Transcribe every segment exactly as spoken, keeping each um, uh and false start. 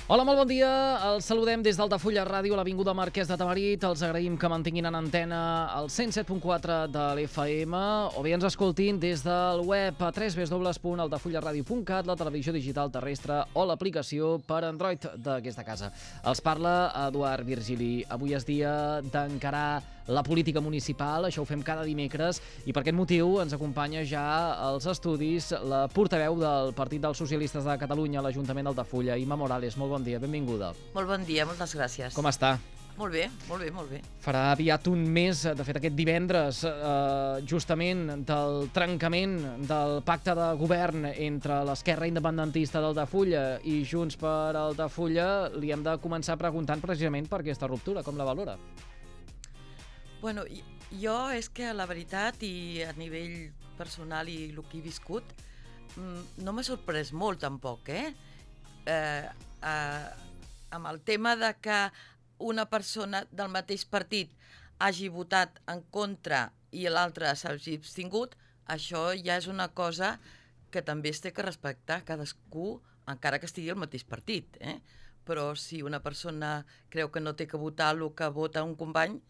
Hola, molt bon dia. Els saludem des d'Altafulla Ràdio a l'Avinguda Marquès de Tamarit. Els agraïm que mantinguin en antena el cent set punt quatre de l'F M o bé ens escoltin des del web a w w w punt altafullaradio punt cat, la televisió digital terrestre o l'aplicació per Android d'aquesta casa. Els parla Eduard Virgili. Avui és dia d'encarar la política municipal, això ho fem cada dimecres, i per aquest motiu ens acompanya ja als estudis la portaveu del Partit dels Socialistes de Catalunya a l'Ajuntament d'Altafulla, Imma Morales. Molt bon dia, benvinguda. Molt bon dia, moltes gràcies. Com està? Molt bé, molt bé, molt bé. Farà aviat un mes, de fet aquest divendres, eh, justament del trencament del pacte de govern entre l'esquerra independentista d'Altafulla i Junts per Altafulla. Li hem de començar preguntant precisament per aquesta ruptura, com la valora? Bueno, jo és que la veritat i a nivell personal i el que he viscut no m'ha sorprès molt tampoc, eh? eh, eh amb el tema de que una persona del mateix partit hagi votat en contra i l'altre s'hagi abstingut, això ja és una cosa que també es té que respectar cadascú, encara que estigui al mateix partit, eh? Però si una persona creu que no té que votar el que vota un company,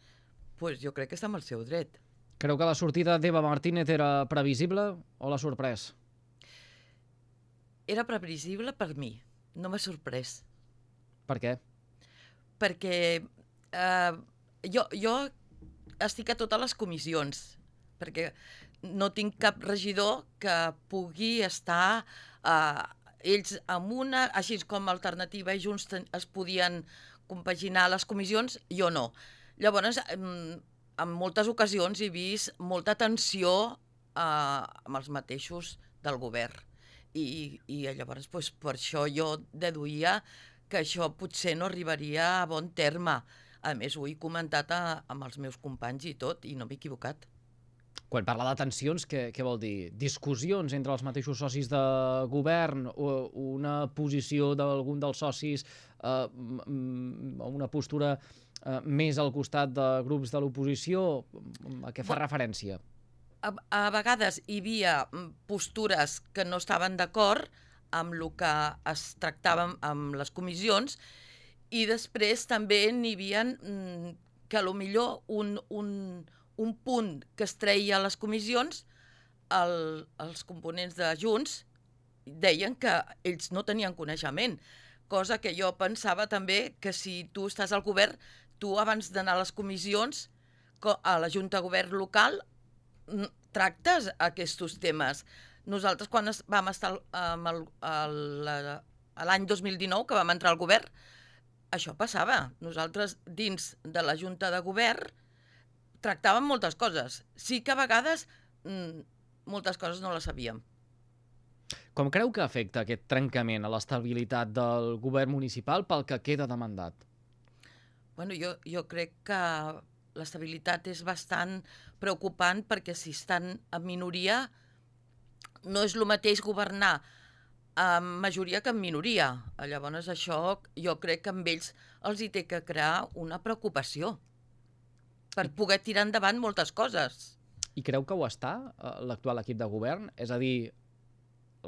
pues jo crec que està amb el seu dret. Creu que la sortida d'Eva Martínez era previsible o l'ha sorprès? Era previsible per mi, no m'ha sorprès. Per què? Perquè eh, jo, jo estic a totes les comissions, perquè no tinc cap regidor que pugui estar eh, ells amb una, així com Alternativa i Junts es podien compaginar les comissions, jo no. Llavors, en moltes ocasions he vist molta tensió eh, amb els mateixos del govern. I, i llavors, doncs, per això jo deduïa que això potser no arribaria a bon terme. A més, ho he comentat a, amb els meus companys i tot, i no m'he equivocat. Quan parla de tensions, què, què vol dir? Discussions entre els mateixos socis de govern o una posició d'algun dels socis eh, o una postura eh, més al costat de grups de l'oposició? A què fa Bo, referència? A, a vegades hi havia postures que no estaven d'acord amb el que es tractava amb les comissions i després també n'hi havia que potser un, un, un punt que es treia a les comissions, el, els components de Junts deien que ells no tenien coneixement, cosa que jo pensava també que si tu estàs al govern, tu abans d'anar a les comissions, a la Junta de Govern local, tractes aquests temes. Nosaltres, quan vam estar l'any dos mil dinou, que vam entrar al govern, això passava. Nosaltres, dins de la Junta de Govern, tractàvem moltes coses. Sí que a vegades moltes coses no les sabíem. Com creu que afecta aquest trencament a l'estabilitat del govern municipal pel que queda de mandat? Bueno, jo, jo crec que l'estabilitat és bastant preocupant perquè si estan en minoria no és el mateix governar amb majoria que amb minoria. Llavors això jo crec que amb ells els hi té que crear una preocupació per poder tirar endavant moltes coses. I creu que ho està l'actual equip de govern? És a dir,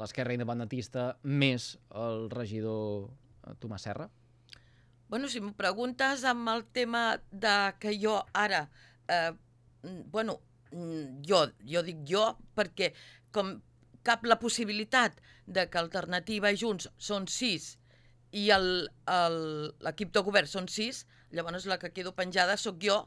l'esquerra independentista més el regidor Tomàs Serra? Bueno, si m'ho preguntes amb el tema de que jo ara, eh, bueno, jo, jo dic jo perquè com cap la possibilitat de que Alternativa i Junts són sis i l'equip de govern són sis, llavors la que quedo penjada sóc jo.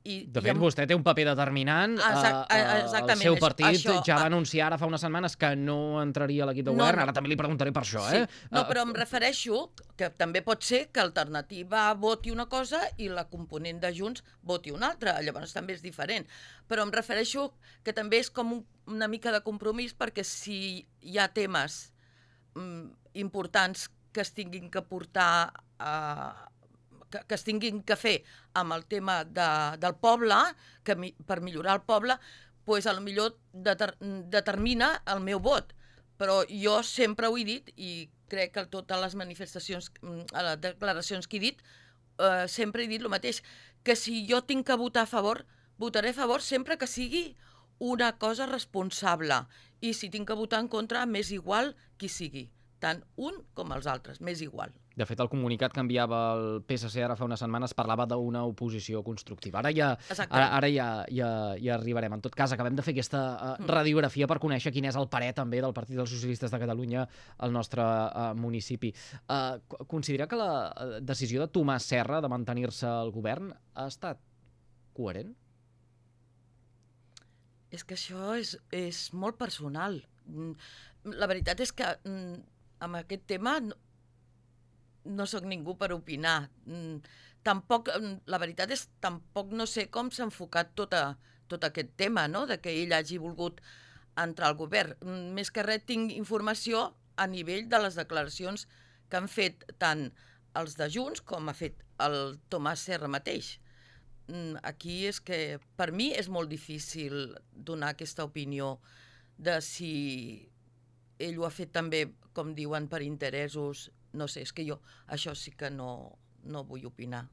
I, de fet, i amb... vostè té un paper determinant. Exact, el seu partit això, ja va anunciar ara fa unes setmanes que no entraria a l'equip de govern. No, no. Ara també li preguntaré per això. Sí. Eh? No, però em refereixo que també pot ser que Alternativa voti una cosa i la component de Junts voti una altra. Llavors també és diferent. Però em refereixo que també és com un, una mica de compromís perquè si hi ha temes mm, importants que es tinguin que portar a... Que, que es tinguin que fer amb el tema de, del poble, que mi, per millorar el poble, pues, potser deter, determina el meu vot. Però jo sempre ho he dit, i crec que totes les manifestacions, les declaracions que he dit, eh, sempre he dit el mateix, que si jo tinc que votar a favor, votaré a favor sempre que sigui una cosa responsable. I si tinc que votar en contra, m'és igual qui sigui. Tant un com els altres, m'és igual. De fet, el comunicat que enviava el P S C ara fa unes setmanes parlava d'una oposició constructiva. Ara ja, ara, ara ja, ja, ja arribarem. En tot cas, acabem de fer aquesta uh, radiografia per conèixer quin és el parer també del Partit dels Socialistes de Catalunya al nostre uh, municipi. Uh, considera que la decisió de Tomàs Serra de mantenir-se al govern ha estat coherent? És que això és, és molt personal. La veritat és que amb aquest tema no, no sóc ningú per opinar. Tampoc, la veritat és que tampoc no sé com s'ha enfocat tot, a, tot aquest tema, no?, de que ell hagi volgut entrar al govern. Més que res tinc informació a nivell de les declaracions que han fet tant els de Junts com ha fet el Tomàs Serra mateix. Aquí és que per mi és molt difícil donar aquesta opinió de si ell ho ha fet també, com diuen, per interessos. No sé, és que jo això sí que no, no vull opinar.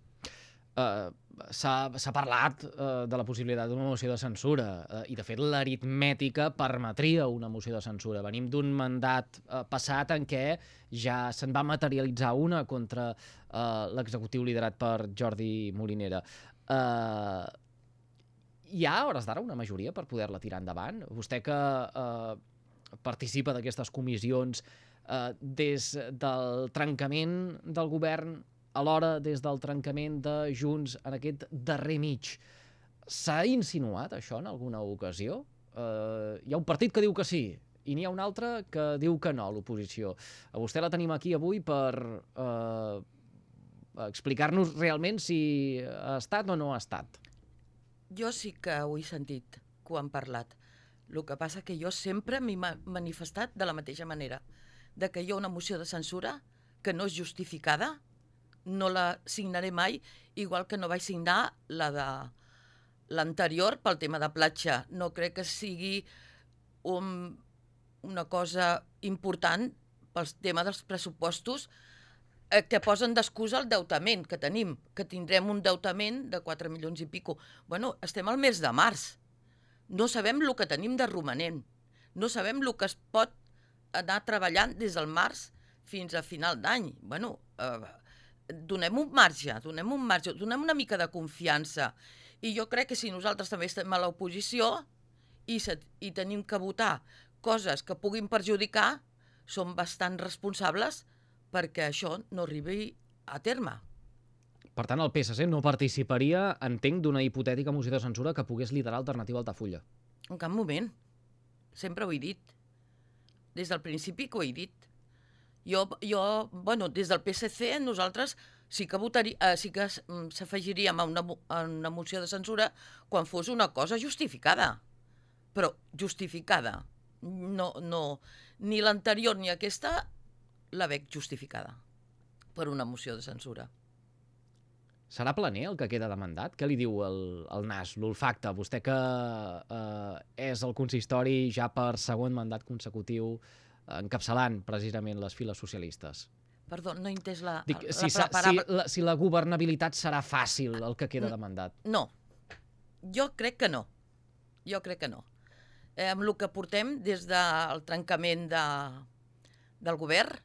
Uh, s'ha parlat uh, de la possibilitat d'una moció de censura uh, i de fet l'aritmètica permetria una moció de censura. Venim d'un mandat uh, passat en què ja se'n va materialitzar una contra uh, l'executiu liderat per Jordi Molinera. Uh, hi ha, a hores d'ara, una majoria per poder-la tirar endavant? Vostè que uh, participa d'aquestes comissions uh, des del trencament del govern, alhora des del trencament de Junts en aquest darrer mig, s'ha insinuat això en alguna ocasió? Uh, hi ha un partit que diu que sí i n'hi ha un altre que diu que no, l'oposició. A vostè la tenim aquí avui per uh, explicar-nos realment si ha estat o no ha estat. Jo sí que ho he sentit, que ho han parlat. El que passa que jo sempre m'he manifestat de la mateixa manera, de que hi ha una moció de censura que no és justificada, no la signaré mai, igual que no vaig signar la de l'anterior pel tema de platja. No crec que sigui un, una cosa important pel tema dels pressupostos que posen d'excusa el deutament que tenim, que tindrem un deutament de quatre milions i pico. Bueno, estem al mes de març. No sabem el que tenim de romanent. No sabem el que es pot anar treballant des del març fins a final d'any. Bueno, eh, donem un marge, donem un marge, donem una mica de confiança. I jo crec que si nosaltres també estem a l'oposició i, se, i tenim que votar coses que puguin perjudicar, som bastant responsables perquè això no arribi a terme. Per tant, el P S C no participaria, entenc, d'una hipotètica moció de censura que pogués liderar Alternativa Altafulla. En cap moment. Sempre ho he dit. Des del principi que ho he dit. Jo, jo bueno, des del P S C nosaltres sí que votaria, eh, sí que s'afegiríem a una, a una moció de censura quan fos una cosa justificada. Però justificada. No, no, ni l'anterior ni aquesta la veig justificada per una moció de censura. Serà planer el que queda de mandat? Què li diu el, el N A S, l'olfacte? Vostè que eh, és el consistori ja per segon mandat consecutiu encapçalant precisament les files socialistes. Perdó, no he entès la... Dic, la, si, la, la si, la, si la governabilitat serà fàcil el que queda de mandat. No, jo crec que no. Jo crec que no. Eh, amb el que portem des del trencament de, del govern,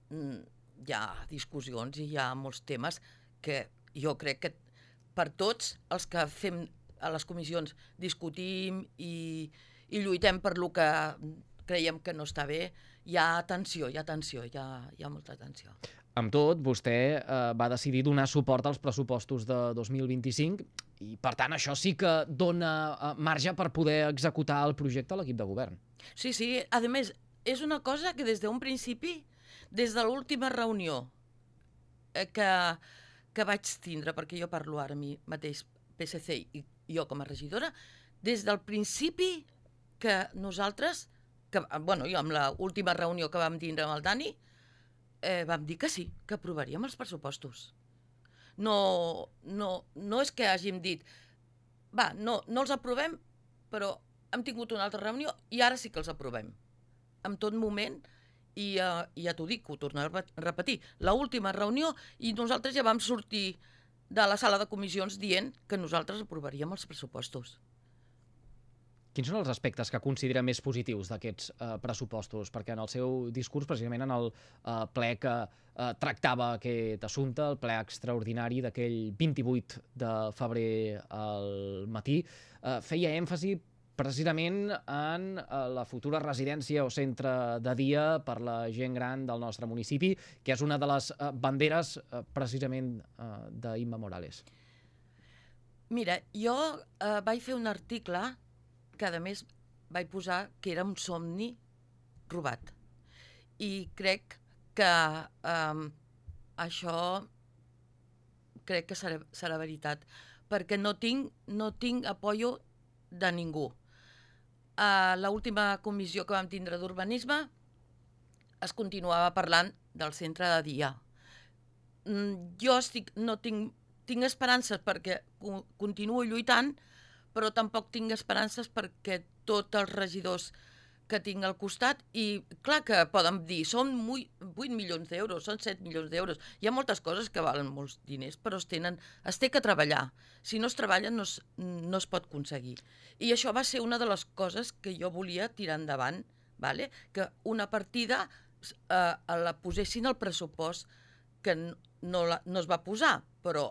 hi ha discussions i hi ha molts temes que jo crec que per tots els que fem a les comissions discutim i, i lluitem per lo que creiem que no està bé, hi ha tensió, hi ha tensió, hi ha, hi ha molta tensió. Amb tot, vostè eh, va decidir donar suport als pressupostos de dos mil vint-i-cinc i, per tant, això sí que dona eh, marge per poder executar el projecte a l'equip de govern. Sí, sí. A més, és una cosa que des d'un principi, des de l'última reunió eh, que, que vaig tindre, perquè jo parlo ara mi mateix P S C i jo com a regidora, des del principi que nosaltres, que, bueno, jo amb l'última reunió que vam tindre amb el Dani, eh, vam dir que sí, que aprovaríem els pressupostos. No, no, no és que hàgim dit, va, no, no els aprovem, però hem tingut una altra reunió i ara sí que els aprovem. En tot moment, i uh, ja t'ho dic, ho torno a repetir, l'última reunió i nosaltres ja vam sortir de la sala de comissions dient que nosaltres aprovaríem els pressupostos. Quins són els aspectes que considera més positius d'aquests eh, pressupostos? Perquè en el seu discurs, precisament en el eh, ple que eh, tractava aquest assumpte, el ple extraordinari d'aquell vint-i-vuit de febrer al matí, eh, feia èmfasi precisament en la futura residència o centre de dia per la gent gran del nostre municipi, que és una de les banderes precisament d'Imma Morales. Mira, jo eh, vaig fer un article que a més vaig posar que era un somni robat. I crec que eh, això crec que serà, serà veritat, perquè no tinc, no tinc apoyo de ningú. A l'última comissió que vam tindre d'urbanisme es continuava parlant del centre de dia. Jo estic, no tinc, tinc esperances perquè continuo lluitant, però tampoc tinc esperances perquè tots els regidors que tinc al costat, i clar que poden dir, són vuit milions d'euros, són set milions d'euros. Hi ha moltes coses que valen molts diners, però es, tenen, es té que treballar. Si no es treballa no es, no es pot aconseguir. I això va ser una de les coses que jo volia tirar endavant, vale? Que una partida eh, la posessin al pressupost, que no, la, no es va posar, però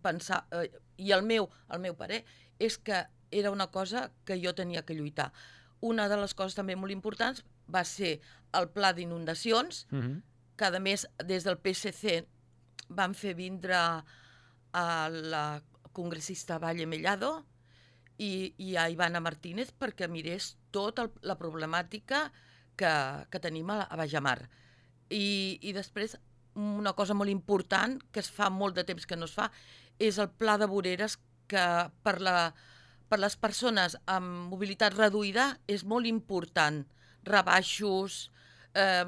pensar, eh, i el meu, el meu parer és que era una cosa que jo tenia que lluitar. Una de les coses també molt importants va ser el pla d'inundacions, uh-huh. que a més des del P S C van fer vindre a la congressista Valle Mellado i, i a Ivana Martínez perquè mirés tota la problemàtica que, que tenim a, a Bajamar. I, I després una cosa molt important que es fa molt de temps que no es fa és el pla de voreres que per la per les persones amb mobilitat reduïda és molt important. Rebaixos, eh,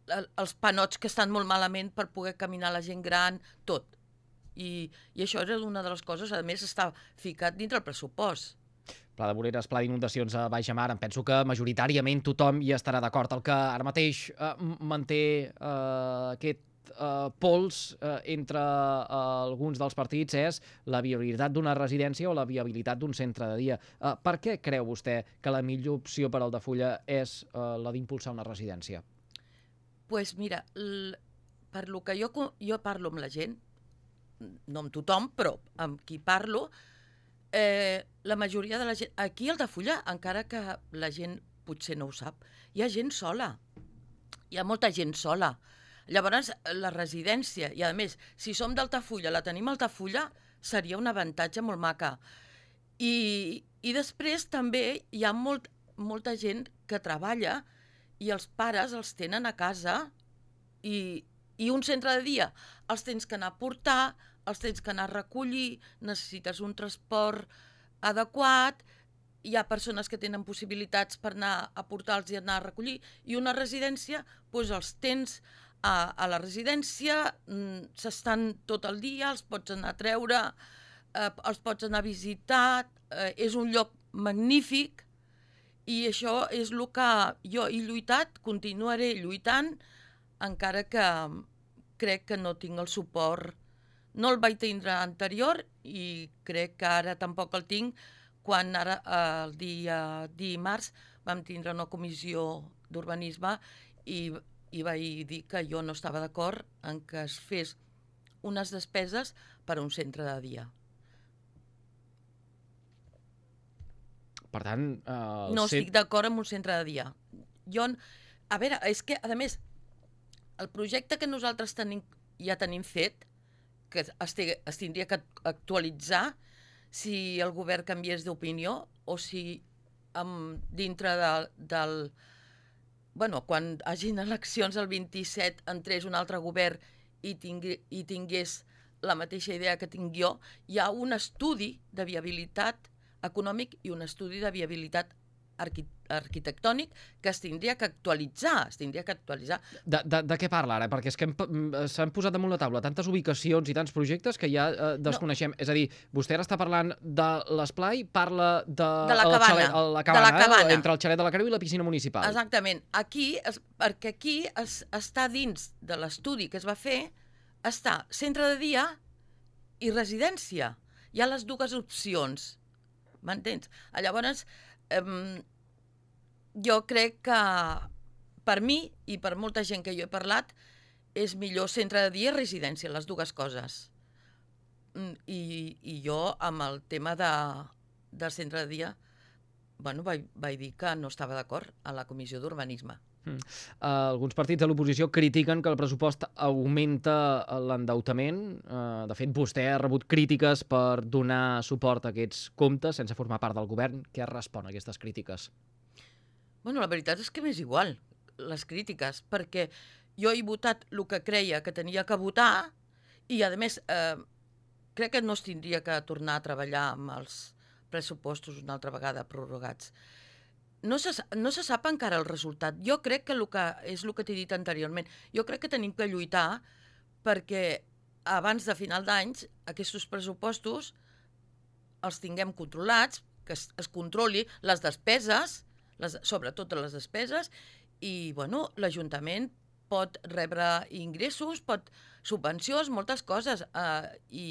els panots que estan molt malament per poder caminar la gent gran, tot. I, i això era una de les coses, a més està ficat dintre el pressupost. Pla de voreres, pla d'inundacions a Bajamar, em penso que majoritàriament tothom hi estarà d'acord. El que ara mateix eh, manté eh, aquest Uh, pols uh, entre uh, alguns dels partits és la viabilitat d'una residència o la viabilitat d'un centre de dia. Uh, per què creu vostè que la millor opció per al Altafulla és uh, la d'impulsar una residència? Doncs pues mira, l... per lo que jo, jo parlo amb la gent, no amb tothom, però amb qui parlo, eh, la majoria de la gent... Aquí a Altafulla, encara que la gent potser no ho sap, hi ha gent sola. Hi ha molta gent sola. Llavors, la residència, i a més, si som d'Altafulla, la tenim a Altafulla, seria un avantatge molt maca. I, i després també hi ha molt, molta gent que treballa i els pares els tenen a casa i, i un centre de dia els tens que anar a portar, els tens que anar a recollir, necessites un transport adequat, hi ha persones que tenen possibilitats per anar a portar-los i anar a recollir, i una residència, doncs els tens a, a la residència, s'estan tot el dia, els pots anar a treure, eh, els pots anar a visitar, eh, és un lloc magnífic, i això és el que jo he lluitat, continuaré lluitant, encara que crec que no tinc el suport. No el vaig tindre anterior i crec que ara tampoc el tinc, quan ara el dia dimarts vam tindre una comissió d'urbanisme i, i vaig dir que jo no estava d'acord en que es fes unes despeses per a un centre de dia. Per tant... Uh, no estic d'acord amb un centre de dia. Jo, a veure, és que, a més, el projecte que nosaltres tenim, ja tenim fet, que es, es tindria que actualitzar si el govern canviés d'opinió o si amb, dintre de, del... Bueno, quan hagin eleccions el vint-i-set entrés un altre govern i, tingui, i tingués la mateixa idea que tinc jo, hi ha un estudi de viabilitat econòmic i un estudi de viabilitat arqui arquitectònic que es tindria que actualitzar, es tindria que actualitzar. De, de, de què parla ara? Perquè és que s'han posat damunt la taula tantes ubicacions i tants projectes que ja eh, desconeixem. No. És a dir, vostè ara està parlant de l'esplai, parla de, de la cabana, xalet, la cabana, de la cabana. Eh, entre el xalet de la Creu i la piscina municipal. Exactament. Aquí, es, perquè aquí es, està dins de l'estudi que es va fer, està centre de dia i residència. Hi ha les dues opcions. m'entens? Llavors, eh, jo crec que per mi i per molta gent que jo he parlat és millor centre de dia i residència, les dues coses. I, i jo amb el tema de, del centre de dia bueno, vaig, vaig dir que no estava d'acord a la comissió d'urbanisme. Mm. Uh, alguns partits de l'oposició critiquen que el pressupost augmenta l'endeutament. Uh, de fet, vostè ha rebut crítiques per donar suport a aquests comptes sense formar part del govern. Què respon a aquestes crítiques? Bueno, la veritat és que m'és igual, les crítiques, perquè jo he votat el que creia que tenia que votar i, a més, eh, crec que no es tindria que tornar a treballar amb els pressupostos una altra vegada prorrogats. No se, no se sap encara el resultat. Jo crec que, el que és el que t'he dit anteriorment. Jo crec que tenim que lluitar perquè abans de final d'anys aquests pressupostos els tinguem controlats, que es, es controli les despeses, les, sobretot les despeses, i bueno, l'Ajuntament pot rebre ingressos, pot subvencions, moltes coses. Eh, i,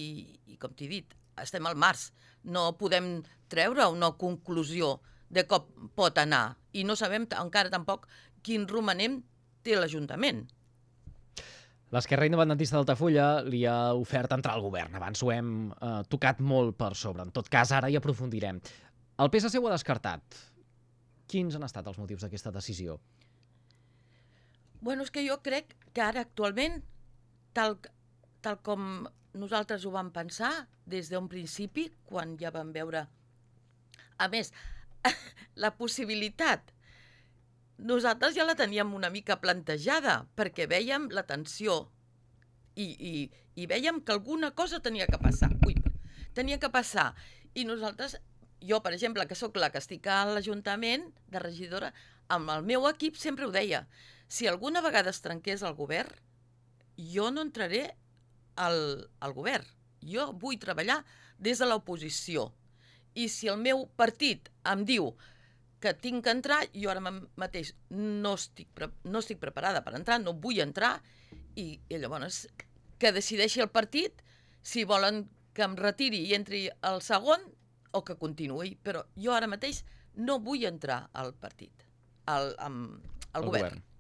I com t'he dit, estem al març. No podem treure una conclusió de com pot anar. I no sabem encara tampoc quin romanent té l'Ajuntament. L'esquerra independentista d'Altafulla li ha ofert entrar al govern. Abans ho hem eh, tocat molt per sobre. En tot cas, ara hi aprofundirem. El P S C ho ha descartat. Quins han estat els motius d'aquesta decisió? Bueno, és que jo crec que ara actualment, tal, tal com nosaltres ho vam pensar des d'un principi, quan ja vam veure... A més, la possibilitat, nosaltres ja la teníem una mica plantejada, perquè vèiem la tensió i, i, i vèiem que alguna cosa tenia que passar. Ui, tenia que passar. I nosaltres, jo, per exemple, que sóc la que estic a l'Ajuntament de regidora, amb el meu equip sempre ho deia, si alguna vegada es trenqués el govern, jo no entraré al, al govern. Jo vull treballar des de l'oposició. I si el meu partit em diu que tinc que entrar, jo ara mateix no estic, pre no estic preparada per entrar, no vull entrar, i, i llavors que decideixi el partit si volen que em retiri i entri al segon o que continuï. Però jo ara mateix no vull entrar al partit, al, al, al govern. govern.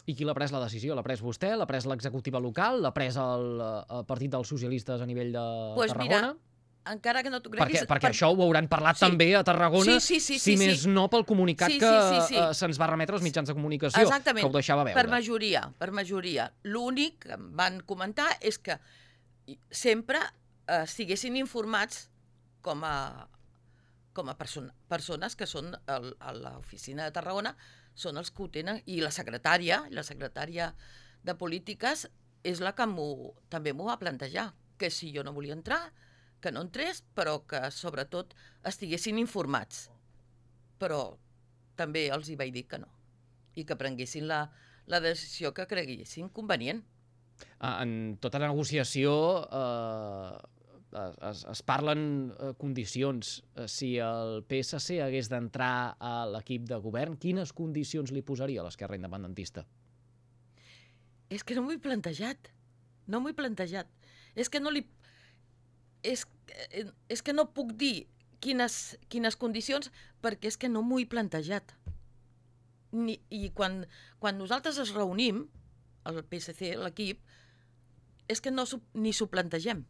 I qui l'ha pres la decisió? L'ha pres vostè? L'ha pres l'executiva local? L'ha pres el, el Partit dels Socialistes a nivell de pues Tarragona? Mira, encara que no t'ho creguis... Perquè, perquè per... això ho hauran parlat sí. també a Tarragona, sí, sí, sí, si sí, més sí. no pel comunicat sí, que sí, sí, sí. Uh, se'ns va remetre als mitjans de comunicació, Exactament. que ho deixava veure. Per majoria, per majoria. L'únic que em van comentar és que sempre eh, estiguessin informats com a, com a person persones que són el, a l'oficina de Tarragona, són els que ho tenen, i la secretària, la secretària de Polítiques és la que també m'ho va plantejar, que si jo no volia entrar, que no entrés, però que sobretot estiguessin informats. Però també els hi vaig dir que no, i que prenguessin la, la decisió que creguessin convenient. En tota negociació eh, es, es parlen condicions. Si el P S C hagués d'entrar a l'equip de govern, quines condicions li posaria a l'esquerra independentista? És que no m'ho he plantejat. No m'ho he plantejat. És que no li... És, és que no puc dir quines, quines condicions perquè és que no m'ho he plantejat. Ni, I quan, quan nosaltres es reunim, el P S C, l'equip, és que no ni s'ho plantegem.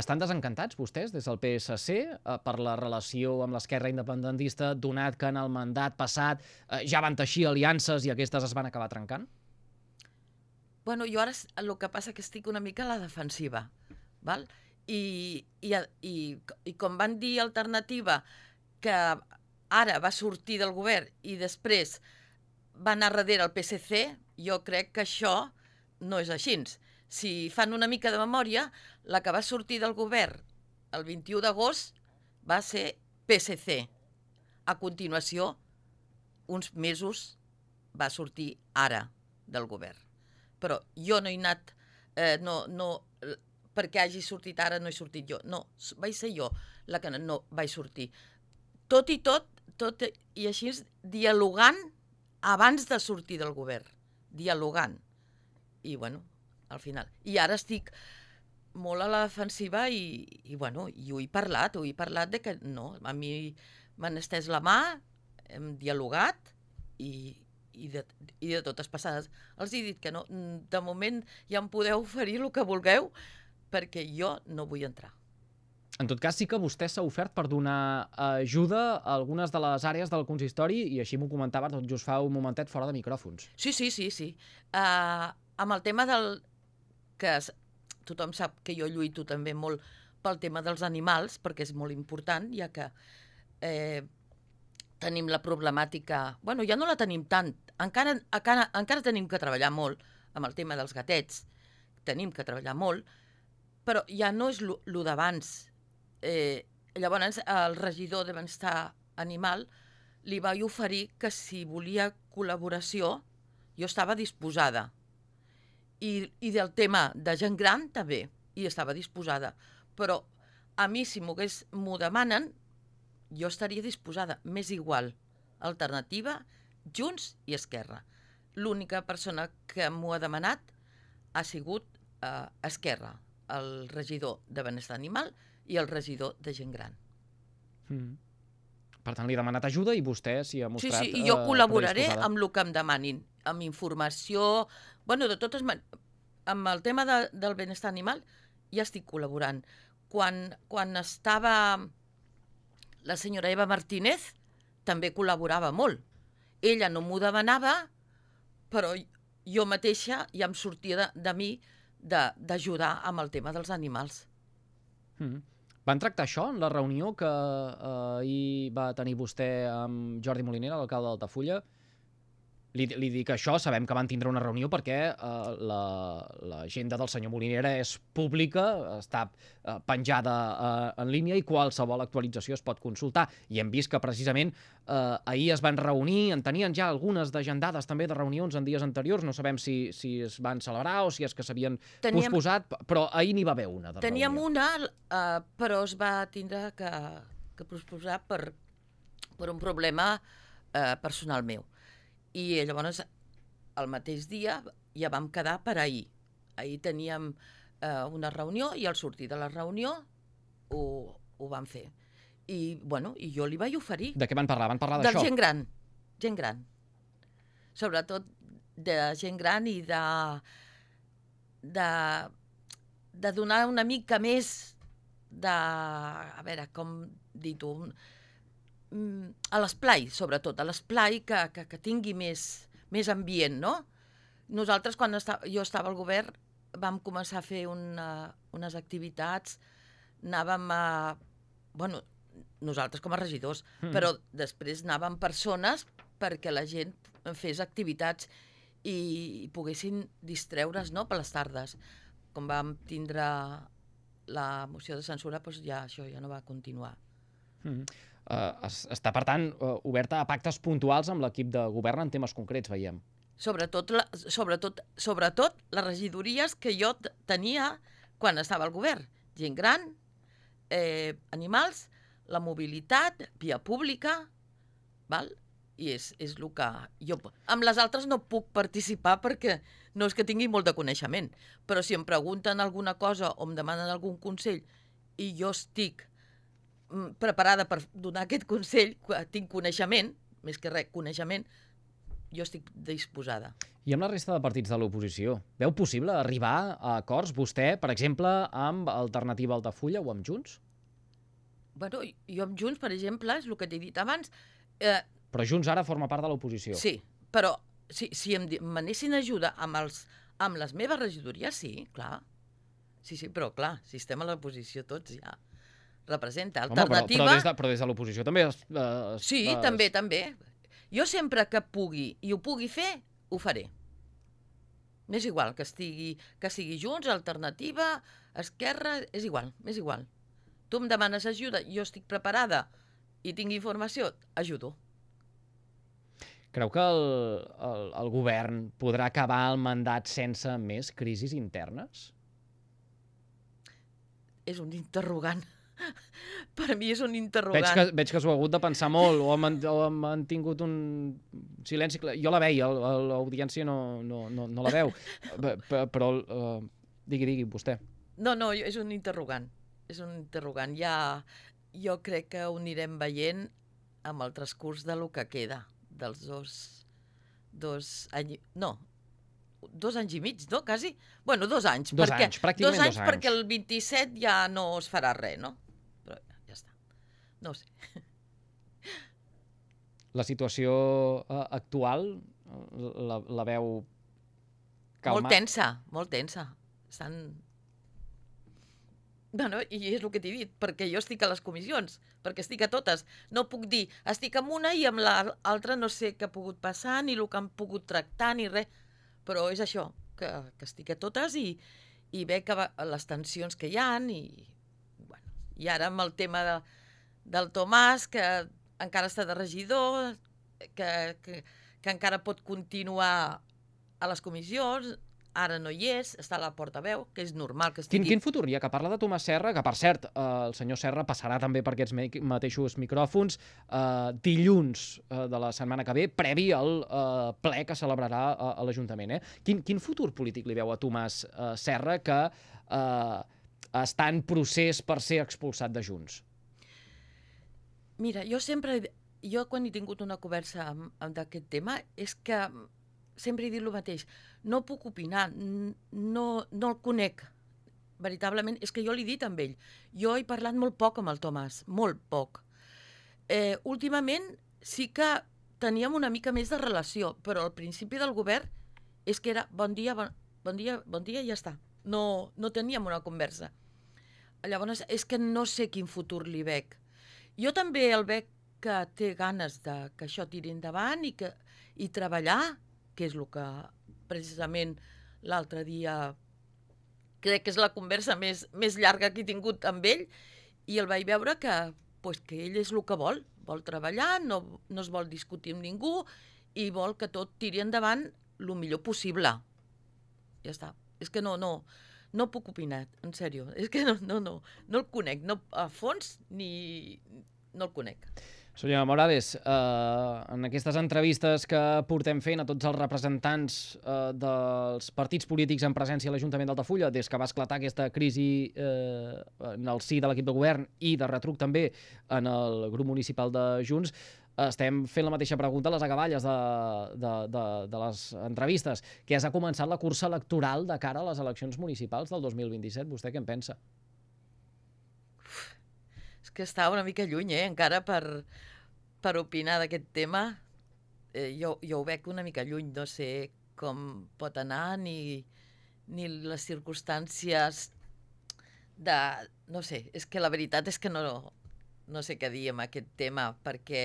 Estan desencantats vostès des del P S C eh, per la relació amb l'esquerra independentista, donat que en el mandat passat eh, ja van teixir aliances i aquestes es van acabar trencant? Bueno, jo ara el que passa que estic una mica a la defensiva, val? I, i, i, i com van dir alternativa que ara va sortir del govern i després va anar darrere el P S C, jo crec que això no és així. Si fan una mica de memòria, la que va sortir del govern el vint-i-u d'agost va ser P S C. A continuació, uns mesos, va sortir ara del govern. Però jo no he anat, eh, no, no, perquè hagi sortit ara no he sortit jo. No, vaig ser jo la que no vaig sortir. Tot i tot, tot i així dialogant abans de sortir del govern. Dialogant. I bueno, al final. I ara estic molt a la defensiva i, i, bueno, i ho he parlat, ho he parlat de que no, a mi m'han estès la mà, hem dialogat i, i, de, i de totes passades els he dit que no, de moment ja em podeu oferir el que vulgueu perquè jo no vull entrar. En tot cas, sí que vostè s'ha ofert per donar ajuda a algunes de les àrees del consistori i així m'ho comentava tot just fa un momentet fora de micròfons. Sí, sí, sí, sí. Uh, amb el tema del... que es, tothom sap que jo lluito també molt pel tema dels animals, perquè és molt important, ja que eh, tenim la problemàtica... Bueno, ja no la tenim tant. Encara, encara, encara tenim que treballar molt amb el tema dels gatets. Tenim que treballar molt, però ja no és el d'abans. Eh, llavors, el regidor de Benestar Animal li vaig oferir que si volia col·laboració, jo estava disposada. I, i del tema de gent gran també hi estava disposada. Però a mi, si m'ho demanen, jo estaria disposada. M'és igual. Alternativa, Junts i Esquerra. L'única persona que m'ho ha demanat ha sigut eh, Esquerra, el regidor de Benestar Animal i el regidor de gent gran. Mm. Per tant, li ha demanat ajuda i vostè s'hi ha mostrat... Sí, sí, i jo col·laboraré amb el que em demanin, amb informació... Bueno, de totes maneres, amb el tema de, del benestar animal ja estic col·laborant. Quan, quan estava la senyora Eva Martínez, també col·laborava molt. Ella no m'ho demanava, però jo mateixa ja em sortia de, de mi d'ajudar amb el tema dels animals. Mm. Van tractar això en la reunió que eh, ahir va tenir vostè amb Jordi Molinera, l'alcalde d'Altafulla? Li, li dic això, sabem que van tindre una reunió perquè eh, l'agenda del senyor Molinera és pública, està eh, penjada eh, en línia i qualsevol actualització es pot consultar. I hem vist que precisament eh, ahir es van reunir, en tenien ja algunes d'agendades també de reunions en dies anteriors, no sabem si, si es van celebrar o si és que s'havien posposat, però ahir n'hi va haver una de teníem reunió. una, eh, però es va tindre que, que posposar per, per un problema eh, personal meu. I llavors, el mateix dia, ja vam quedar per ahir. Ahir teníem eh, una reunió i al sortir de la reunió ho, ho vam fer. I, bueno, i jo li vaig oferir. De què van parlar? Van parlar d'això? De gent gran. Gent gran. Sobretot de gent gran i de, de, de donar una mica més de... A veure, com dir-ho... a l'esplai, sobretot, a l'esplai que, que, que tingui més, més ambient, no? Nosaltres, quan esta, jo estava al govern, vam començar a fer una, unes activitats, anàvem a... Bueno, nosaltres com a regidors, mm. però després anàvem persones perquè la gent fes activitats i, i poguessin distreure's, no?, per les tardes. Com vam tindre la moció de censura, doncs ja això ja no va continuar. Mm. Uh, es, està, per tant, uh, oberta a pactes puntuals amb l'equip de govern en temes concrets, veiem. Sobretot, la, sobretot, sobretot les regidories que jo tenia quan estava al govern. Gent gran, eh, animals, la mobilitat, via pública, val? I és, és el que jo... Amb les altres no puc participar perquè no és que tingui molt de coneixement, però si em pregunten alguna cosa o em demanen algun consell i jo estic preparada per donar aquest consell, tinc coneixement, més que res, coneixement, jo estic disposada. I amb la resta de partits de l'oposició, veu possible arribar a acords, vostè, per exemple, amb Alternativa Altafulla o amb Junts? Bueno, jo amb Junts, per exemple, és el que t'he dit abans... Eh, però Junts ara forma part de l'oposició. Sí, però si, si em manessin ajuda amb, els, amb les meves regidories, sí, clar. Sí, sí, però clar, si estem a l'oposició tots ja... representa alternativa... Home, però, però, des de, però des de l'oposició també... Es, es, sí, es... també, també. Jo sempre que pugui i ho pugui fer, ho faré. M'és igual que estigui, que sigui Junts, Alternativa, Esquerra, és igual, m'és igual. Tu em demanes ajuda, jo estic preparada i tinc informació, ajudo. Creu que el, el, el govern podrà acabar el mandat sense més crisis internes? És un interrogant. Per mi és un interrogant. Veig que, veig que s'ho ha hagut de pensar molt o han, o han mantingut un silenci. Jo la veia, l'audiència no, no, no, no la veu. Però, uh, digui, digui, vostè. No, no, és un interrogant. És un interrogant. Ja, jo crec que ho anirem veient amb el transcurs de lo que queda, dels dos, dos anys... No, dos anys i mig, no? Quasi? Bueno, dos anys. Dos perquè, anys, pràcticament dos anys. dos anys. Perquè el vint-i-set ja no es farà res, no? Però ja està. No ho sé. La situació uh, actual la, la veu calma? Molt tensa, molt tensa. Estan... Bueno, i és el que t'he dit, perquè jo estic a les comissions, perquè estic a totes. No puc dir, estic amb una i amb l'altra no sé què ha pogut passar, ni el que han pogut tractar, ni res. Però és això, que, que estic a totes i, i veig que va, les tensions que hi ha i, bueno, i ara amb el tema de, del Tomàs, que encara està de regidor, que, que, que encara pot continuar a les comissions, ara no hi és, està a la portaveu, que és normal que estigui... Quin, quin futur hi ha? Que parla de Tomàs Serra, que per cert, eh, el senyor Serra passarà també per aquests mateixos micròfons eh, dilluns eh, de la setmana que ve, previ al eh, ple que celebrarà eh, a l'Ajuntament. Eh? Quin, quin futur polític li veu a Tomàs eh, Serra, que eh, està en procés per ser expulsat de Junts? Mira, jo sempre... Jo quan he tingut una conversa d'aquest tema és que sempre he dit el mateix. No puc opinar, no, no el conec. Veritablement, és que jo l'he dit amb ell. Jo he parlat molt poc amb el Tomàs, molt poc. Eh, últimament sí que teníem una mica més de relació, però al principi del govern és que era bon dia, bon, bon dia, bon dia i ja està. No, no teníem una conversa. Llavors, és que no sé quin futur li veig. Jo també el veig que té ganes de que això tiri endavant i, que, i treballar, que és el que precisament l'altre dia crec que és la conversa més, més llarga que he tingut amb ell, i el vaig veure que, pues, que ell és el que vol, vol treballar, no, no es vol discutir amb ningú i vol que tot tiri endavant el millor possible. Ja està. És que no, no, no puc opinar, en sèrio. És que no, no, no, no el conec, no a fons ni no el conec. Senyora Morales, eh, en aquestes entrevistes que portem fent a tots els representants eh, dels partits polítics en presència a l'Ajuntament d'Altafulla, des que va esclatar aquesta crisi eh, en el si de l'equip de govern i de retruc també en el grup municipal de Junts, estem fent la mateixa pregunta a les acaballes de, de, de, de les entrevistes, que ja s'ha començat la cursa electoral de cara a les eleccions municipals del dos mil vint-i-set. Vostè què en pensa? És que està una mica lluny, eh? Encara per, per opinar d'aquest tema. Eh, jo, jo ho veig una mica lluny, no sé com pot anar, ni, ni les circumstàncies de... No sé, és que la veritat és que no, no sé què dir amb aquest tema, perquè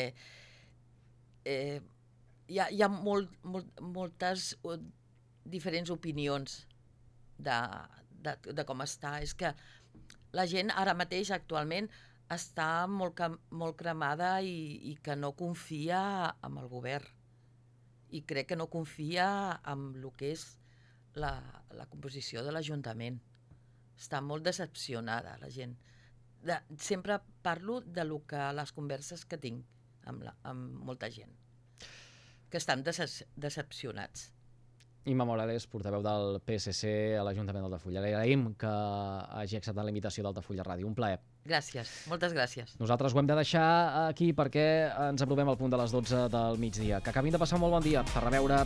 eh, hi ha, hi ha molt, molt, moltes diferents opinions de, de, de com està. És que la gent ara mateix, actualment, està molt, molt cremada i, i que no confia en el govern. I crec que no confia en el que és la, la composició de l'Ajuntament. Està molt decepcionada, la gent. De, sempre parlo de lo que, les converses que tinc amb, la, amb molta gent, que estan decep decepcionats. Imma Morales, portaveu del P S C a l'Ajuntament d'Altafulla. Li agraïm que hagi acceptat la invitació d'Altafulla Ràdio. Un plaer. Gràcies, moltes gràcies. Nosaltres ho hem de deixar aquí perquè ens aprovem al punt de les dotze del migdia. Que acabin de passar un molt bon dia. Per reveure.